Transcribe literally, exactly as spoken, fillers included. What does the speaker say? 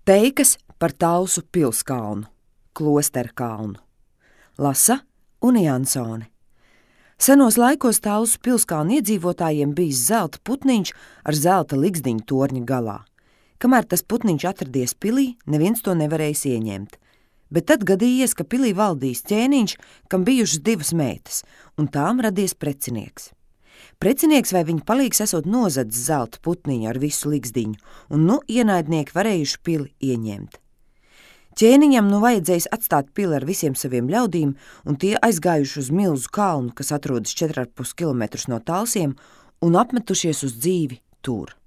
Teikas par Talsu pilskalnu, Klosterkalnu. Lasa Une Jansone. Senos laikos Talsu pilskalnu iedzīvotājiem bijis zelta putniņš ar zelta ligzdiņu torņa galā. Kamēr tas putniņš atradies pilī, neviens to nevarējis ieņemt. Bet tad gadījies, ka pilī valdījis ķēniņš, kam bijušas divas meitas, un tām radies precinieks. Precinieks vai viņa palīgs esot nozadzis zelta putniņu ar visu ligzdiņu, un nu ienaidnieki varējuši pili ieņemt. Ķēniņam nu vajadzējis atstāt pili ar visiem saviem ļaudīm, un tie aizgājuši uz milzu kalnu, kas atrodas četri ar pus kilometrus no Talsiem, un apmetušies uz dzīvi tur.